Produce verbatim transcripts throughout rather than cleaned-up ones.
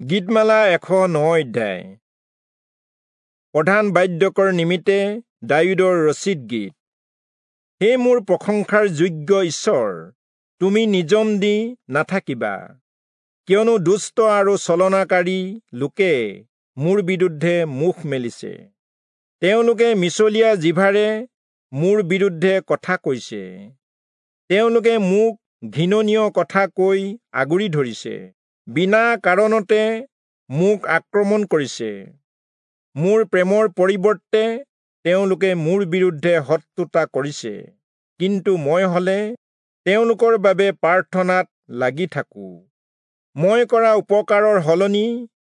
গীতমালা এশ ন অধ্যায়। প্ৰধান বাদ্যকৰ নিমিত্তে দায়ূদৰ ৰচিত গীত। হে মোৰ প্ৰশংসাৰ যোগ্য ঈশ্বৰ, তুমি নিজম দি নাথাকিবা, কিয়নো দুষ্ট আৰু ছলনাকাৰী লোকে মোৰ বিৰুদ্ধে মুখ মেলিছে। তেওঁলোকে মিছলীয়া জিভাৰে মোৰ বিৰুদ্ধে কথা কৈছে। তেওঁলোকে মোক ঘৃণনীয় কথা কৈ আগুৰি ধৰিছে, বিনা কাৰণতে মোক আক্ৰমণ কৰিছে। মোৰ প্ৰেমৰ পৰিৱৰ্তে তেওঁলোকে মোৰ বিৰুদ্ধে শত্ৰুতা কৰিছে, কিন্তু মই হলে তেওঁলোকৰ বাবে প্ৰাৰ্থনাত লাগি থাকোঁ। মই কৰা উপকাৰৰ সলনি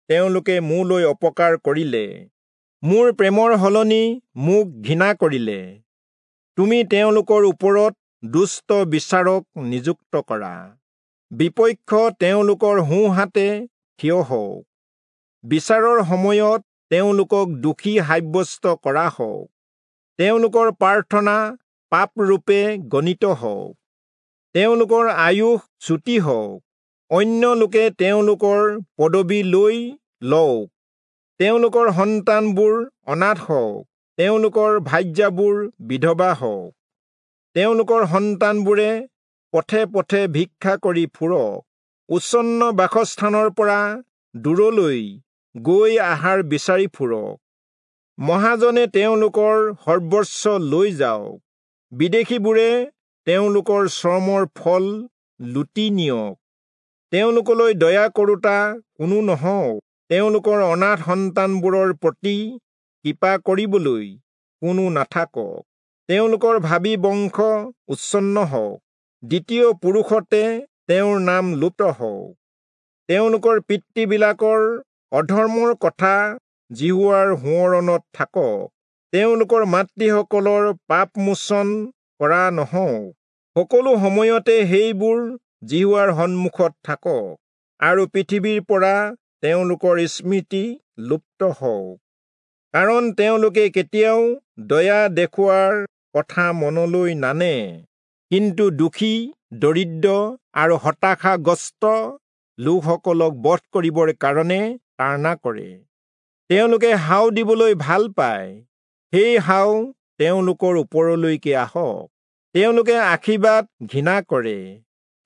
তেওঁলোকে মোলৈ অপকাৰ কৰিলে, মোৰ প্ৰেমৰ সলনি মোক ঘৃণা কৰিলে। তুমি তেওঁলোকৰ ওপৰত দুষ্ট বিচাৰক নিযুক্ত কৰা, বিপক্ষ তেওঁলোকৰ সোঁহাতে থিয় হওক। বিচাৰৰ সময়ত তেওঁলোকক দোষী সাব্যস্ত কৰা হওক, তেওঁলোকৰ প্ৰাৰ্থনা পাপৰূপে গণিত হওক। তেওঁলোকৰ আয়ুস চুটি হওক, অন্য লোকে তেওঁলোকৰ পদবী লৈ লওক। তেওঁলোকৰ সন্তানবোৰ অনাথ হওক, তেওঁলোকৰ ভাৰ্যাবোৰ বিধৱা হওক। তেওঁলোকৰ সন্তানবোৰে পথে পথে ভিক্ষা কৰি ফুৰক, উচ্ছন্ন বাসস্থানৰ পৰা দূৰলৈ গৈ আহাৰ বিচাৰি ফুৰক। মহাজনে তেওঁলোকৰ সৰ্বস্ব লৈ যাওক, বিদেশীবোৰে তেওঁলোকৰ শ্ৰমৰ ফল লুটি নিয়ক। তেওঁলোকলৈ দয়া কৰোঁতা কোনো নহওক, তেওঁলোকৰ অনাথ সন্তানবোৰৰ প্ৰতি কৃপা কৰিবলৈ কোনো নাথাকক। তেওঁলোকৰ ভাবী বংশ উচ্ছন্ন হওক, দ্বিতীয় পুৰুষতে তেওঁৰ নাম লুপ্ত হওক। তেওঁলোকৰ পিতৃবিলাকৰ অধৰ্মৰ কথা যিহোৱাৰ সোঁৱৰণত থাকক, তেওঁলোকৰ মাতৃসকলৰ পাপমোচন কৰা নহওক। সকলো সময়তে সেইবোৰ যিহোৱাৰ সন্মুখত থাকক, আৰু পৃথিৱীৰ পৰা তেওঁলোকৰ স্মৃতি লুপ্ত হওক। কাৰণ তেওঁলোকে কেতিয়াও দয়া দেখুওৱাৰ কথা মনলৈ নানে, কিন্তু দুখী, দৰিদ্ৰ আৰু হতাশাগ্ৰস্ত লোকসকলক বধ কৰিবৰ কাৰণে তাড়না কৰে। তেওঁলোকে হাও দিবলৈ ভাল পায়, সেই হাও তেওঁলোকৰ ওপৰলৈকে আহক। তেওঁলোকে আশীৰ্বাদ ঘৃণা কৰে,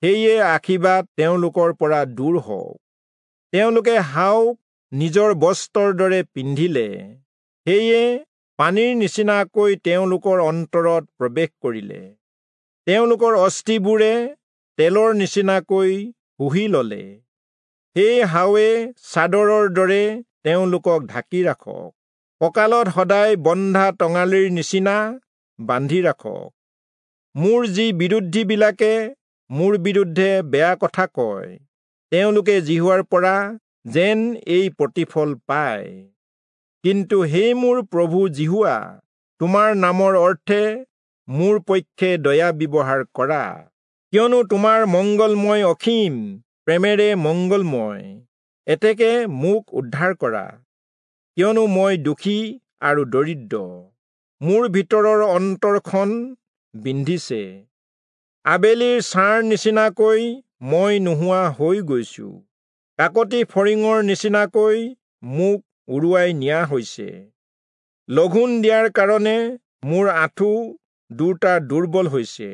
সেয়ে আশীৰ্বাদ তেওঁলোকৰ পৰা দূৰ হওক। তেওঁলোকে হাওক নিজৰ বস্ত্ৰৰ দৰে পিন্ধিলে, সেয়ে পানীৰ নিচিনাকৈ তেওঁলোকৰ অন্তৰত প্ৰৱেশ কৰিলে। তেওঁলোকৰ অস্থিবোৰে তেলৰ নিচিনাকৈ শুহি ললে, সেই হাৱে চাদৰৰ দৰে তেওঁলোকক ঢাকি ৰাখক, কঁকালত সদায় বন্ধা টঙালিৰ নিচিনা বান্ধি ৰাখক। মোৰ যি বিৰোধীবিলাকে মোৰ বিৰুদ্ধে বেয়া কথা কয়, তেওঁলোকে যিহোৱাৰ পৰা যেন এই প্ৰতিফল পায়। কিন্তু হে মোৰ প্ৰভু যিহোৱা, তোমাৰ নামৰ অৰ্থে মোৰ পক্ষে দয়া ব্যৱহাৰ কৰা, কিয়নো তোমাৰ মংগলময় অসীম প্ৰেমেৰে মংগলময়। এতেকে মোক উদ্ধাৰ কৰা, কিয়নো মই দুখী আৰু দৰিদ্ৰ, মোৰ ভিতৰৰ অন্তৰখন বিন্ধিছে। আবেলিৰ ছাঁৰ নিচিনাকৈ মই নোহোৱা হৈ গৈছো, কাকতি ফৰিঙৰ নিচিনাকৈ মোক উৰুৱাই নিয়া হৈছে। লঘোণ দিয়াৰ কাৰণে মোৰ আঁঠু দুটা দুৰ্বল হৈছে,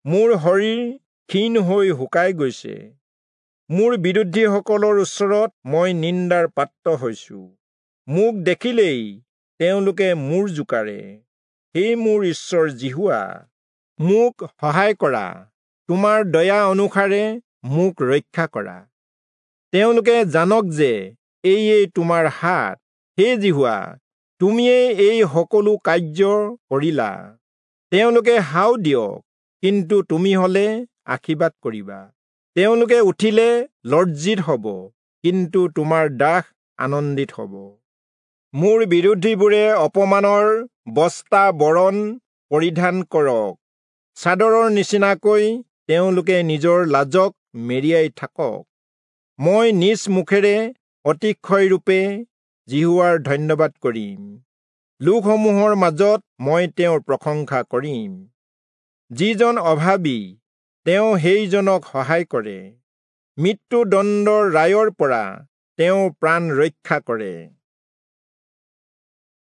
মোৰ শৰীৰ ক্ষীণ হৈ শুকাই গৈছে। মোৰ বিৰোধীসকলৰ ওচৰত মই নিন্দাৰ পাত্ৰ হৈছো, মোক দেখিলেই তেওঁলোকে মূৰ জোকাৰে। হে মোৰ ঈশ্বৰ যিহোৱা, মোক সহায় কৰা, তোমাৰ দয়া অনুসাৰে মোক ৰক্ষা কৰা। তেওঁলোকে জানক যে এয়েই তোমাৰ হাত, হে যিহোৱা, তুমিয়েই এই সকলো কাৰ্য কৰিলা। তেওঁলোকে হাও দিয়ক, কিন্তু তুমি হলে আশীৰ্বাদ কৰিবা। তেওঁলোকে উঠিলে লজ্জিত হব, কিন্তু তোমাৰ দাস আনন্দিত হব। মোৰ বিৰোধীবোৰে অপমানৰ বস্তা বৰণ পৰিধান কৰক, চাদৰৰ নিচিনাকৈ তেওঁলোকে নিজৰ লাজক মেৰিয়াই থাকক। মই নিজ মুখেৰে অতিশয়ৰূপে যিহোৱাৰ ধন্যবাদ কৰিম, লোকসমূহৰ মাজত মই তেওঁৰ প্ৰশংসা কৰিম। যিজন অভাৱী, তেওঁ সেইজনক সহায় কৰে, মৃত্যুদণ্ডৰ ৰায়ৰ পৰা তেওঁ প্ৰাণ ৰক্ষা কৰে।